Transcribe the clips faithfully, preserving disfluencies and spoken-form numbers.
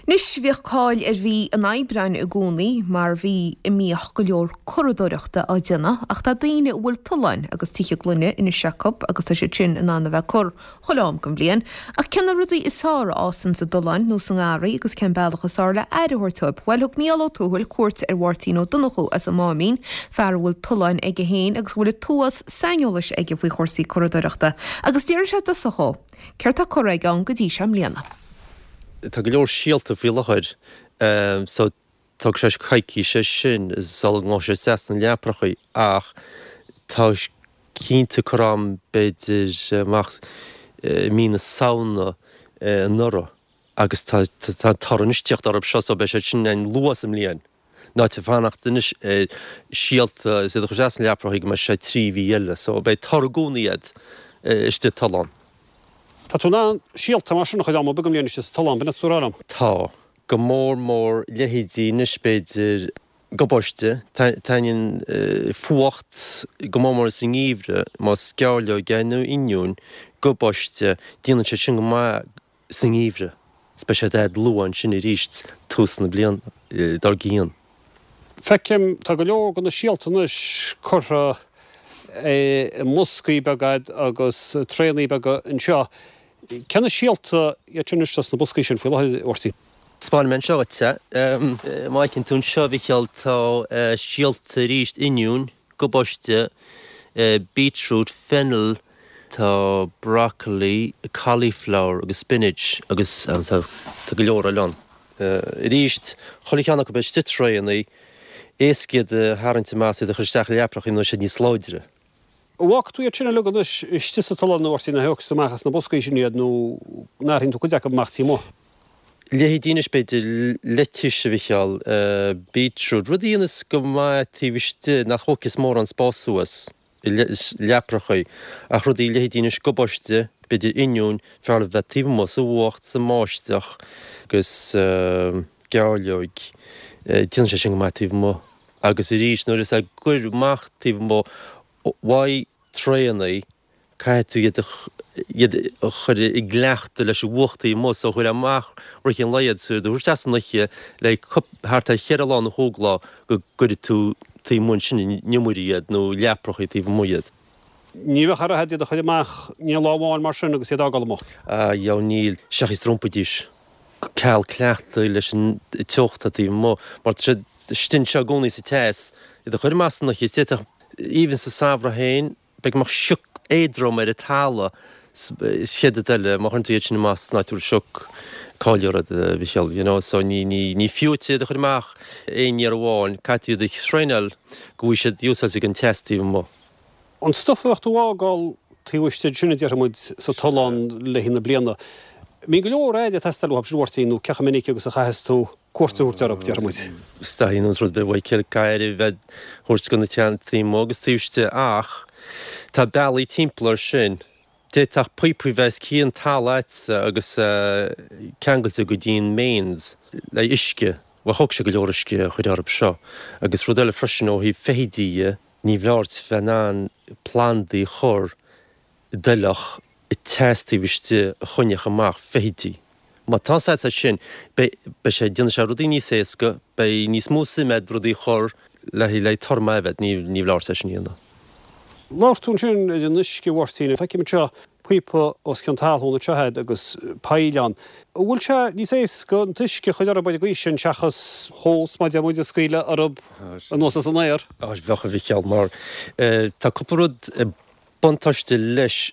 Anois bhíodh cáil ar mhí an Aibreáin i gcónaí mar mhí a mbíodh go leor curadóireachta á déanamh ach tá daoine a bhfuil tolláin agus tithe gloine anois acu agus tá siad sin in ann a bheith ag cur chuile am den bhliain. Ach cé na rudaí is fearr a fhásann sa dtollán nó sa ngarraí agus cén bealach is fearr le aire a thabhairt dóibh. Bhuel thug Mícheál Ó Tuathail cuairt ar Mháirtín Ó Donnchú as an Máimín, fear a bhfuil tollán aige féin agus a bhfuil an t-uafás saineolais aige faoi chúrsaí curadóireachta agus d'iarr sé i dtosach dhó. Céard tá curtha aige ann go dtí seo i mbliana. Tá go leor síolta faoi láthair so tógfaidh sé coicís é sin sula ngabhfaidh sé isteach sna leaprachaí ach tá cinnte curtha agam b'fhéidir amach i mí na Samhna anuraidh agus tá tá toradh anois ag tíocht orthu seo so beidh sé sin ann luath sa mbliain. In áit fanacht anois ar síolta is iad a chur isteach sna leaprachaí go mbeidh sé trí mhí eile so beidh toradh i gcónaí agat istigh sa tollán. Tá tú in ann síolta mar sin a chur am ar bith den mbliain istigh sa tollán, b'in atá tú a rá liom? Tá. Go mór mór leithéidí anois b'fhéidir gabáiste, taitníonn fuacht go mór mór sa ngeimhreadh, más gairleog é nó oinniún, gabáiste, déanann siad sin go maith sa ngeimhreadh. Is beidh siad agat luath ansin arís tús na bliana dár gcionn. Feicim, tá go leor de na síolta anois curtha i mboscaí beaga agat agus traenaí beaga anseo. Cé na síolta iad sin anois sna boscaí sin faoi láthair, a Mháirtín? Spáinfidh mé anseo dhuit é. Má fheiceann tú anseo, a Mhichíl, tá síolta arís, oinniún, gabáiste, beetroot, fennel, tá broccoli, cauliflower agus spinach agus tá go leor eile ann. Arís, chuile cheann acu beidh istigh i traenaí, éasca iad a tharraingt amach is iad a chur isteach i leaprachaí nó siad níos láidre. An bhfágfaidh tú iad sin uilig anois istigh sa tollán a Mháirtín, nó thógfaidh tú amach as na boscaí sin iad nó an dtarraingeoidh tú cuid acu amach taobh amuigh? Leithéidí anois b'fhéidir lettuce a Mhichíl, beetroot, rudaí a dhéanas go maith taobh istigh nach thógfas mórán spáis suas i leaprachaí ach rudaí leithéidí anois gabáiste, b'fhéidir oinniún, b'fhearr leo bheith taobh amuigh sa bhfuacht, sa mbáisteach agus gairleoig, déanann sé sin go maith taobh amuigh agus arís nuair is ag cur amach taobh amuigh Uaidh traenaí, caithfidh tú iad a iad a chur i gcleachtadh leis an bhfuacht taobh amuigh so chuir amach rith an lae iad so iad a thabhairt isteach san oíche le thart ar cheithre lá nó chúig lá go gcuirfidh tú taobh amuigh ansin in iomairí iad nó leaprachaí taobh amuigh iad. Ní bheadh aire agat iad a chur amach i ndiaidh lá amháin mar sin agus iad a fhágáil amuigh. Ah, dheabhail níl, seachas d'iompaídís ceal cleachtaidh leis an teocht atá taobh amuigh mar tá siad istigh anseo i gcónaí sa teas, iad a chur amach san oíche is d'fhéadfadh Even sa samhradh féin, beidh go mbeadh sioc éadrom ar an talamh chéad rud eile, má chuireann tú iad sin amach san áit a bhfuil sioc, caillfear iad, a Mhichíl, you know, so ní, ní, ní fiú duit iad a chur amach aon iarraidh amháin, caithfidh tú iad a thraenáil go bhfaighidh siad úsáid ag an teas taobh amuigh. An stuif a bheadh tú a fhágáil taobh istigh, sin a déarfaidh muid, sa tollán le haghaidh na bliana, an mbíonn go leor aire ag teastáil uathu sin, a Mháirtín, nó cé chomh minic agus a chaitheas tú cuairt a thabhairt orthu, déarfaidh muid. Is dóigh an rud a Mhichíl aire a bheith á thabhairt do na plandaí amuigh agus taobh istigh ach tá bealaí timpeall air sin. D'fhéadfadh píopaí bheith os cionn talamh a'dsa agus ceangailte go dtí an mains le uisce. Bhuel thóg sé go leor uisce a chur orthu seo. Agus rud eile freisin ó thaobh feithidí dhe, ní bhfearr duit bheith in ann plandaí a chur i dtoilleach teas taobh istigh a choinneodh amach feithidí. Má tá a fhios agat sin, beidh, beidh sé, déanfaidh sé rudaí níos éasca, beidh níos mó suime agat rudaí a chur le, le toradh maith a bheith, ní, ní bhfearr duit é sin a dhéanamh. Labhair tú ansin ar an uisce, a Mháirtín. Feicim anseo píopa os cionn talún anseo agat agus poill ann. An bhfuil sé níos éasca an t-uisce a chur orthu ar an gcaoi sin seachas hose, mar a deir muid, a scaoileadh orthu anuas as an aer? Á, bheadh, a Mhichíl, mar tá cúpla rud, Buntáiste leis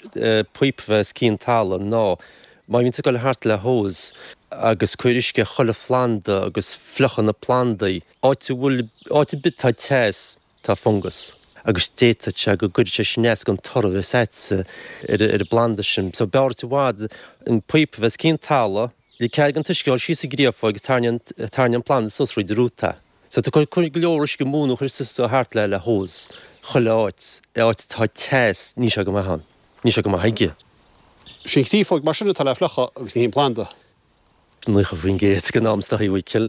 píopa bheith os cionn talamh ná má bhíonn tú ag dul thart le hose agus cur uisce ar chuile phlanda agus fliuchadh na plandaí, áit a bhfuil, áit ar bith tá teas, tá fungas agus d'fhéadfadh sé go gcuirfeadh sé sin as don toradh a bheas a'dsa ar an bplanda sin. So b'fhearr duit i bhfad an píopa bheith os cionn talamh, le cead don t-uisce dul síos an gcréafóig agus tarraingíonn an planda suas thríd an rúta. So tá cur go leor uisce amú nó chuir tú thart le le hose chuile áit, áit atá teas, níl sé go maith ann. Níl sé go maith aige. Sin créafóig mar sin atá le fliuchadh agus ní hé an planda. Naocha faoin gcéad den am is dóigh, a Mhichíl.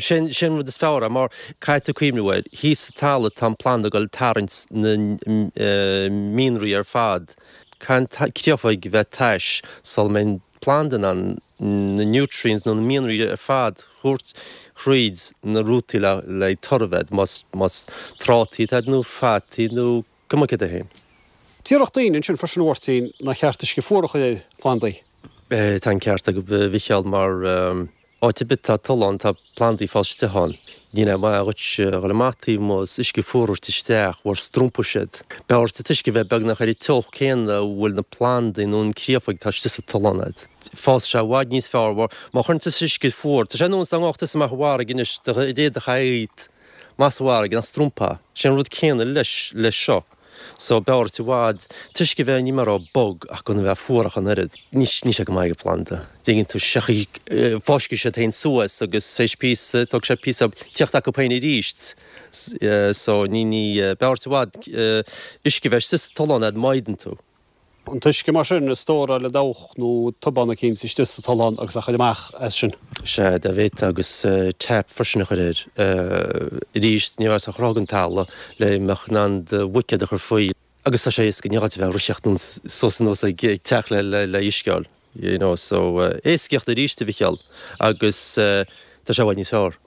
Sin sin an rud is fearr é mar caithfidh tú cuimhniú air, thíos sa talamh tá an planda ag dul ag tarraingt na mianraí ar fad. Caithfidh an créafóig a bheith tais sula mbeidh an planda in ann na nutrients nó na mianraí ar fad thabhairt thríd na rútaí le le toradh a bheith, más más trátaí atá nó fataí nó cuma céard é féin. Déarfadh daoine ansin freisin a Mháirtín nár cheart uisce fuar a chur ar phlandaí. Tá an ceart agat a Mhicheáil mar áit ar bith tá tollán tá plandaí ag fás istigh ann. Ní hé maith dhuit a dhul amach taobh amuigh is uisce fuar a thabhairt isteach mar strompfaidh siad. B'fhearr an t-uisce bheith beagnach ar an teocht céanna a bhfuil na plandaí nó an créafóig atá istigh sa tollán agat. Fásfaidh sé i bhfad níos fearr mar má chuireann tusa uisce fuar, tá sé ar nós dá ngabhfadh tusa amach i bhfarraige anois do d'éadach a fhaigheadh amach sa bhfarraige nach strompfá. Sé an rud céanna leis leis seo. So b'fhearr duit i bhfad t-uisce bheith ní mar a bog ach gan a bheith fuar ach an oiread. Ní ní sé go maith ag planda. Déanann tú seachaí fáiscfidh siad féin suas agus théis píosa tógfaidh sé píosa tíocht acu féin arís. So ní ní b'fhearr duit i bhfad uisce bheith istigh sa tollán fhad maighdeann tú. An t-uisce mar sin a stóráil i dabhach nó tobán eicínt istigh sa tollán agus a chur amach as sin. Sea, dá bhféadfá agus tap freisin a chur air. Arís, ní raibh sé ach rogha an talamh le mbeadh in ann do bhuicéad a chur faoi. Agus tá sé éasca, ní gá duit a bheith ag ritheacht suas anuas ag teach le le uisce a fháil, you know, so éascaíocht arís a Mhicheáil agus tá sé i bhfad níos fearr.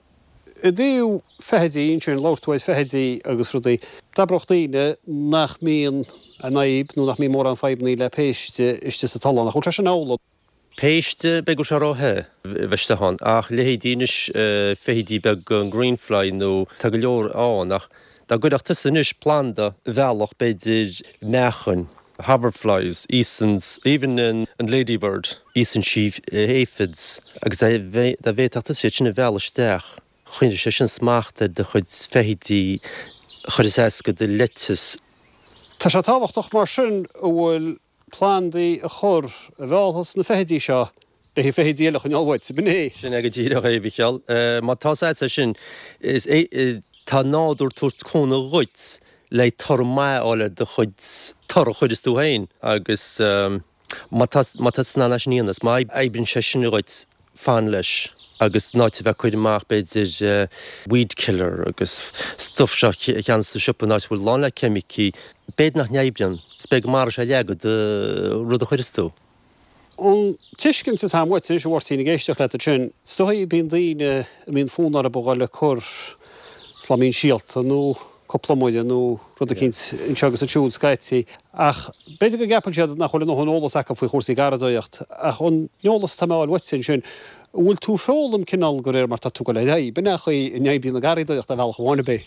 I dtaobh feithidí ansin, labhair tú ar feithidí agus rudaí. D'abródh daoine nach mbíonn an fhadhb nó nach mbíonn mórán fadhbannaí le péiste istigh sa tollán. Ach bhfuil sé sin amhlaidh? Péiste, b'fhéidir go bhfuil sé ró-the a bheith istigh ann. Ach leithéidí anois feithidí beaga, an greenfly nó tá go leor ann ach dá gcuirfeadh tusa anois planda a mheallfadh b'fhéidir meachain, hoverflies, íosann, even an ladybird, íosann sí aphids agus dá bhféadfadh tusa iad sin a mhealladh isteach, choinnigh sé sin smacht ar do chuid feithidí, chuir is éasca do leiteas. Tá sé tábhachtach mar sin a bhfuil plandaí a chur a mheallfas na feithidí seo le haghaidh feithidí eile a choinneáil uait, ab in é? Sin é go díreach é, a Mhicheáil. Má tá a fhios agat é sin, is é, tá nádúr tabhairt cúnamh dhuit le toradh maith a fháil ar do chuid toradh a chuireas tú féin agus má tá má tá tú in ann é sin a dhéanamh, má oibríonn sé sin dhuit, fan leis agus in áit a bheith ag cur amach b'fhéidir weed killer agus stuff seo a cheannaíonn sa siopa in áit a bhfuil lán le ceimicí, b'fhéidir nach n-oibríonn, is b'fhéidir go maróidh sé leath de rud a chuireas tú. An tuiscint atá uait anois, a Mháirtín, ag éisteacht leat ansin, is dóigh, bíonn daoine a mbíonn fonn orthu a dhul ag cur slaimín síolta nó cúpla iomaire nó rud eicínt anseo agus ansiúd scaití, ach b'fhéidir go gceapann siad nach bhfuil a ndóthain eolas acu faoi chúrsaí garraíodóireacht. Ach an eolas atá mé a fháil uaitse ansin, an bhfuil tú ag foghlaim cineál de réir mar tá tú ag dul ar aghaidh? B'in é an chaoi a n-oibríonn an gharraíodóireacht ar bhealach amháin, ab é?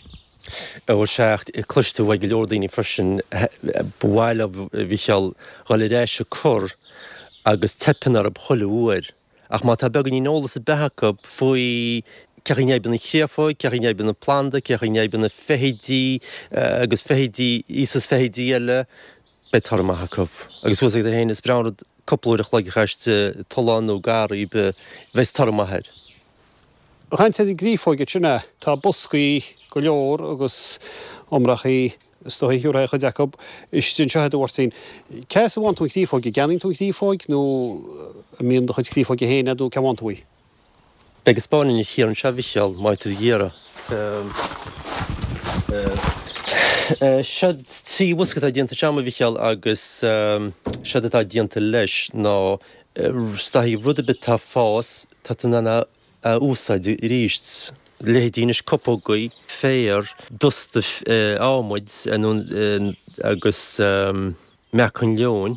Bhuel, sea, cloisfidh tú uaidh go leor daoine freisin, ba mhaith leo, a Mhicheáil, dhul ar ais ag cur agus teipeann orthu chuile uair. Ach má tá beagáinín eolas ar bith acu faoi cé chaoi a n-oibríonn an chréafóig, cé chaoi a n-oibríonn an planda, cé chaoi a n-oibríonn na feithidí agus feithidí, íosas feithidí eile, beidh toradh maith acu. Agus bhfuil fhios agat féin, is breá an rud cúpla uair a chloig a chaitheamh istigh i dtollán nó garraí ar bith, bheas toradh maith air. Ag caint ar an gcréafóig ansin, tá boscaí go leor agus iomrachaí Is dóigh thiúrfá cuid acu istigh anseo agat a Mháirtín. Cá as a bhfaigheann tú an chréafóig? An gceannaíonn tú an chréafóig nó an mbíonn do chuid créafóige féin agat nó cá bhfaigheann tú í? Beidh ag spáint anois thiar anseo a Mhicheáil, má tá tú ag iarraidh. Seo trí bhosca atá déanta anseo agam a Mhicheáil agus séard atá déanta leis ná is dóigh rud ar bith atá ag fás, tá tú in ann a a úsáid arís. Leithéidí anois cupógaí, féar, dusta adhmaid agus meacan leoin,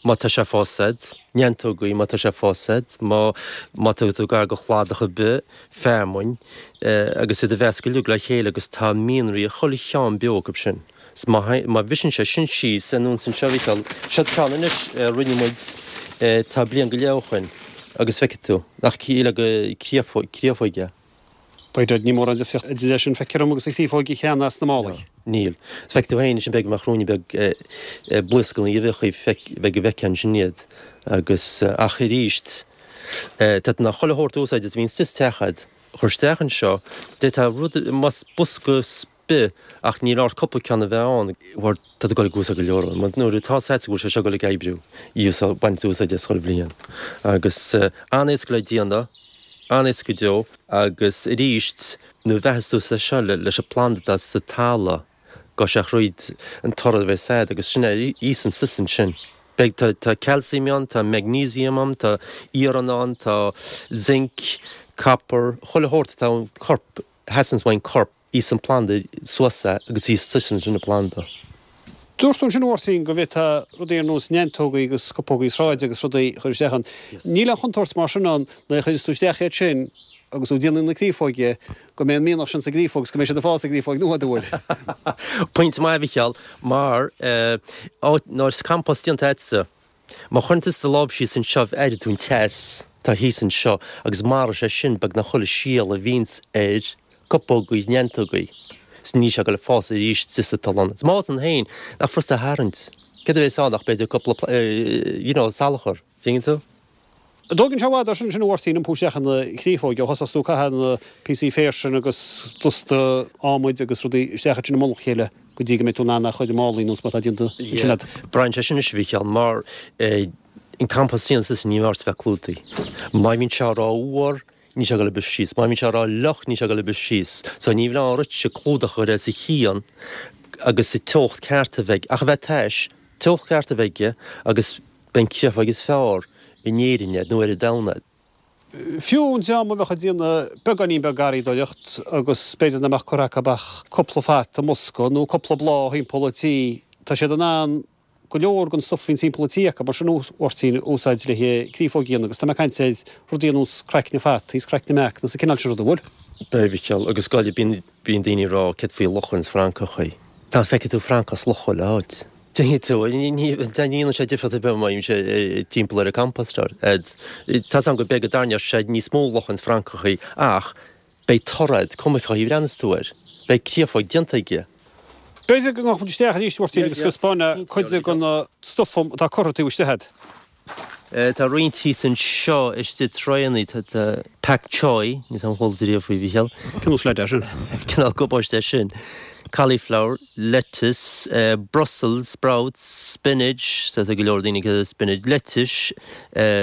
má tá sé ag fás agat, neantógaí má tá sé ag fás agat, má má tá tú gar do chladach ar bith, feamainn, agus iad a mheascadh uilig le chéile agus tá mianraí i chuile cheann beo acu sin. 'S má má bhriseann sé sin síos anuas anseo a Mhicheáil, seo ceann anois a rinne muid tá bliain go leith ó shoin agus feicfidh tú nach cíle go créafóig é. By dad, níl mórán difríocht idir é sin feictear dom agus an chréafóig a cheannaigh sna málaí. Níl. 'S feicfidh tú féin ansin beidh mar chruinne beag blaoscanna uibheacha beidh go bhfeicfeá ansin iad agus ach arís tá tú in ann chuile shórt a úsáid is a bhíonn sa teach agat a chur isteach anseo, d'fhéadfá rud más bosca bith ach níl ort cúpla ceann a bheith ann mar tá tú ag dul ag úsáid go leor ann. Nuair atá a fhios agat go bhfuil sé seo ag dul ag oibriú, úsáid, baint úsáid as chuile bhliain. Agus an-éasca le déanamh, an-éasca go deo agus arís nuair a bheathas tú é seo leis an planda atá sa talamh, gabhfaidh sé thríd an toradh a bheas agat agus sin é, íosann suas ansin. Beidh, tá, tá calcium ann, tá magnesium ann, tá iarann ann, tá zinc, copper, chuile shórt atá an corp, theastaíonns uaidh an corp, íosann an planda suas é agus íosann sin an planda. Dúirt tú ansin a Mháirtín go bhféadfá rudaí ar nós neantógaí agus scupógaí sráide agus rudaí a chur isteach ann. Níl aon chontúirt mar sin ann nuair a chuireas tú isteach iad sin agus tú ag déanamh na créafóige go mbeidh an mianach sin sa gcréafóg agus go mbeidh siad ag fás i gcréafóig nua, an bhfuil? Pointe maith a Mhicheáil, mar nuair is compost déanta agatsa, má chuireann tusa do lámh síos anseo aireoidh tú an teas atá thíos anseo agus maróidh sé sin beagnach chuile síol a bhíonns ar cupógaí is neantógaí. 's níl sé ag goil ag fás arís sa tollán. 'S má fhásann féin, nach furasta a tharraingt. Céard a bhéas ann ach b'fhéidir cúpla you know salachar, tuigeann tú? An dtógann sé i bhfad ar sin sin a Mháirtín iompú isteach ina chréafóig ó thosós tú ag caitheamh na píosaí féir sin agus dusta adhmaid agus rudaí isteach ansin i mullach a chéile go dtí go mbeidh tú in ann é a chur i málaí nós mar atá déanta ansin agat. Braitheann sé sin anois a Mhicheáil mar an compost a dhéananns tusa ní mór a bheith clúdaithe. Má bhíonn sé rófhuar níl sé ag goil ag briseadh síos. Má bhíonn sé rófhliuch, níl sé ag goil ag briseadh síos. So ní bheidh aon rud clúdach a chur air sa chian agus sa teocht ceart a bheidh, ach a bheith tais, teocht ceart a bheidh aige agus beidh an créafóig is fearr in Éirinn agat nó ar an domhan agat. Fiú an dream a bheadh ag déanamh beagáinín beag garraíodóireacht agus b'fhéidir nach mbeadh curtha acu ach cúpla fata i mbosca nó cúpla bláth thimpeall an tí, tá siad in ann go leor den stuif a bhíonn timpeall an tí acu, mar sin a Mháirtín, a úsáid le créafóg a dhéanamh agus tá mé ag caint ar rudaí ar nós craicne fataí is craicne meacan is an cineál sin ruda, an bhfuil? Beidh, a Mhichíl, agus go bíonn bíonn daoine ag rá céard faoi luchain is francachaí. Dá bhfeicfidh tú francach is luch chuile áit. Déanfaidh tú, ní ní dhéanann sé difríocht ar bith má bhíonn sé timpeall ar an compostéir. Tá's agam go b'fhéidir go dtarraingeodh sé níos mó luchain is francachaí ach beidh toradh, cuma cén chaoi a bhreathnas tú air, beidh créafóig déanta aige. B'fhéidir go ngabhfadh muid isteach arís, a Mháirtín, agus go spáinfeá cuid de na stuif atá curtha taobh istigh agat. Tá roinnt thíos anseo istigh traenaí, tá pak choi, níl 's agam ar chuala tú riamh faoi, Mhichíl. Cineál sleaid é sin. Cineál gabáiste é sin. Cauliflower, lettuce, Brussels sprouts, spinach, tá go leor daoine ag spinach, lettuce,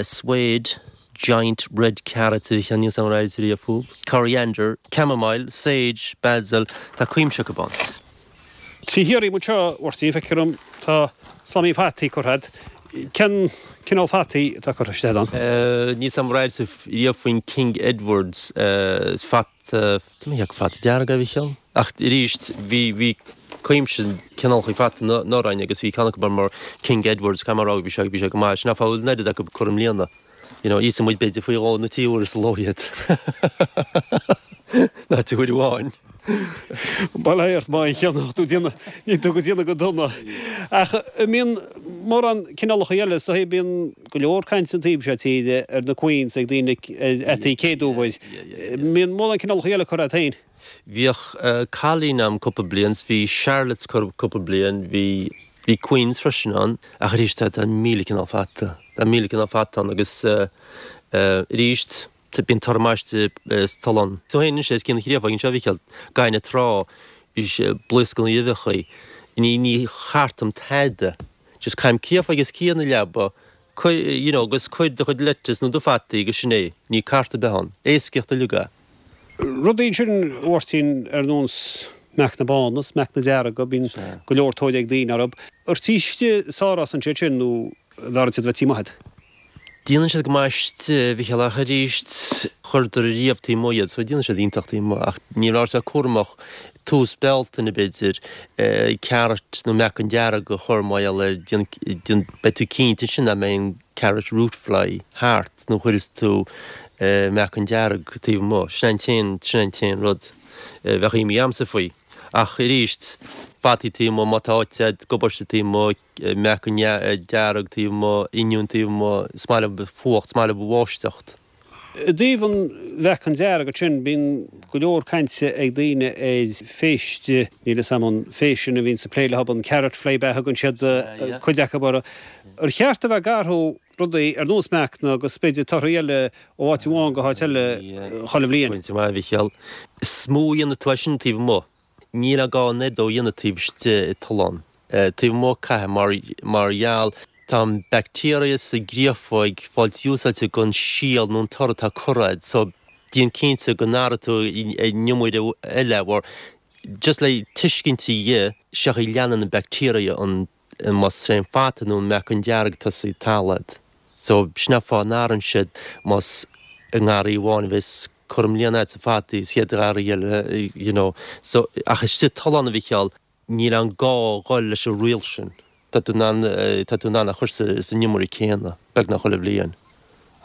swede, giant red carrots a Mhichíl, níl 's agam ar airigh tú riamh fúthu, coriander, chamomile, sage, basil, tá cuimse acu ann. Trí thiar díom anseo, a Mháirtín, feictear dom, tá slamaí fataí curtha agat. Cén cineál fataí atá curtha isteach ann? Níl 's agam ar airigh tú riamh faoin King Edwards, is fata, tá mé ag fata dearg é a Mhichíl. Ach arís, bhí, bhí cuimse cineálacha fata anuraidh agus bhí ceann acu mar King Edwards, caithfidh mé a rá, bhí sé, bhí sé go maith. Sin an fáth a bhfuil an oiread acu curtha i mbliana. You know, íosann muid b'fhéidir faoi dhó nó trí huaire sa ló iad. Ná trí huaire amháin. Bail ort má cheannach tú déanamh, níl tú go déanamh go dona. Ach an mbíonn mórán cineálacha eile, so bíonn go leor cainte an taobh seo tíre ar na queens ag daoine ar fhataí céaduair. Mbíonn mórán cineálacha eile curtha agat féin? Bhíodh cailín a'm cúpla bliain, 's bhí Charlottes curtha cúpla bliain, bhí bhí Queens freisin ann, ach arís tá tá míle cineál fata, tá míle cineál fata ann agus arís bíonn toradh maith istigh sa tollán. Tú féin anois os cionn an chréafóig anseo a Mhichíl, gaineamh trá, blaoscanna uibheacha, ní ní chartaim tada, just caithim créafóig os cionn na leaba, cuir, you know, agus cuir do chuid lettuce nó do fataí agus sin é, níl cart ar bith ann, éascaíocht uilig é. Rudaí ansin, a Mháirtín, ar nós meacna bána is meacna dearga, bíonn go leor tóir ag daoine orthu. Ar taobh istigh is fearr a fhásann siad sin nó an bhfearr iad a bheith taobh amuigh agat? Déanann siad go maith istigh, a Mhichíl, ach arís chuireadar riamh taobh amuigh iad, so déanann siad iontach taobh amuigh ach ní raibh sé cúramach tús Bealtaine b'fhéidir, carrot nó meacan dearg a chur mar gheall air, déan, déan, beidh tú cinnte ansin nach mbeidh an carrot root fly thart nó chuireas tú meacan dearg taobh amuigh. Sin an t-aon, sin an t-aon rud a bheadh imní a'msa faoi. Ach arís, fataí taobh amuigh, má tá áit a'd, gabáiste taobh amuigh, meacan dearg taobh amuigh, oinniún taobh amuigh, is maith leo fuacht, is maith leo báisteacht. I dtaobh an mheacain dearg ansin, bíonn go leor cainte ag daoine ar phéiste, níl 'fhios a'm an phéist sin a bhíonns ag plé leo, an carrot fly ab ea a thugann siad cuid acu orthu. Ar cheart a bheith ag athrú rudaí ar nós meacna agus b'fhéidir torthaí eile ó áit amháin go háit eile chuile bhliain? Pointe maith, a Mhichíl. Is mó a dhéanfaidh tú é sin taobh amuigh. Níl gá an oiread dó a dhéanamh taobh istigh i tollán. Taobh amuigh caithfidh mar mar gheall tá an bacteria sa gcréafóig fáilt úsáidte don síol nó an toradh atá curtha a'd so déan cinnte go n-athraigh tú an iomaire eile mar just le tuiscint a dhe seachaidh leanann an bacteria an Más é an fata nó an meacan dearg tosaigh talamh. So sin an fáth a n-athraíonn siad más i ngarraí amháin a bheas cur i mbliana agat sa fataí is chéad gharraí eile you know. So ach istigh tollán a Mhicheáil níl an gá dhul leis an riail sin. Tá tú in ann tá tú in ann a chur sa san iomaire céanna beagnach chuile bhliain.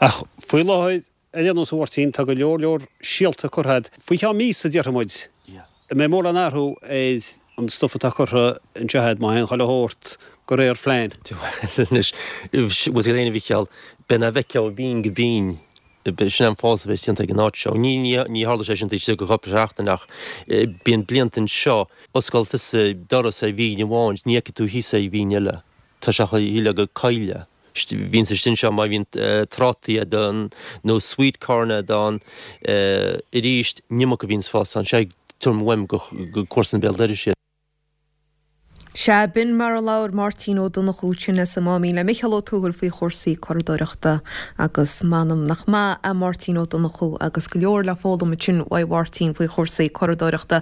Ach faoi láthair ar aon nós a Mháirtín tá go leor leor síolta curtha agat. Faoi cheann míosa déarfaidh muid. An mbeidh mórán athrú ar an stuif atá curtha anseo agat má théann chuile shórt de réir phlean? Bhuel anois, bhfuil fhios agat fhéin a Mhicheáil, beidh na bhfeiceá ó bhinn go binn. Sin an fás a bheas déanta ag an áit seo. Ní ní tharla sé sin taobh istigh de chúpla seachtain ach bíonn blianta anseo, osclaíonn tusa doras ar bhinn amháin, ní fheicfidh tú thíos ar bhinn eile. Tá sé shílfeá gur coill é. Bhíonn sa sin seo má bhíonn trátaí agat ann nó sweet corn agat ann arís, an iomarca a bhíonns fás ann. Sé tuairim uaim go comharsan béal dorais iad. Sea, b'in mar a labhair Máirtín Ó Donnchú ansin as an Máimín le Micheál Ó Tuathail faoi chúrsaí curadóireachta agus m'anam nach maith é Máirtín Ó Donnchú agus go leor le foghlaim ansin uaidh Mháirtín faoi chúrsaí curadóireachta.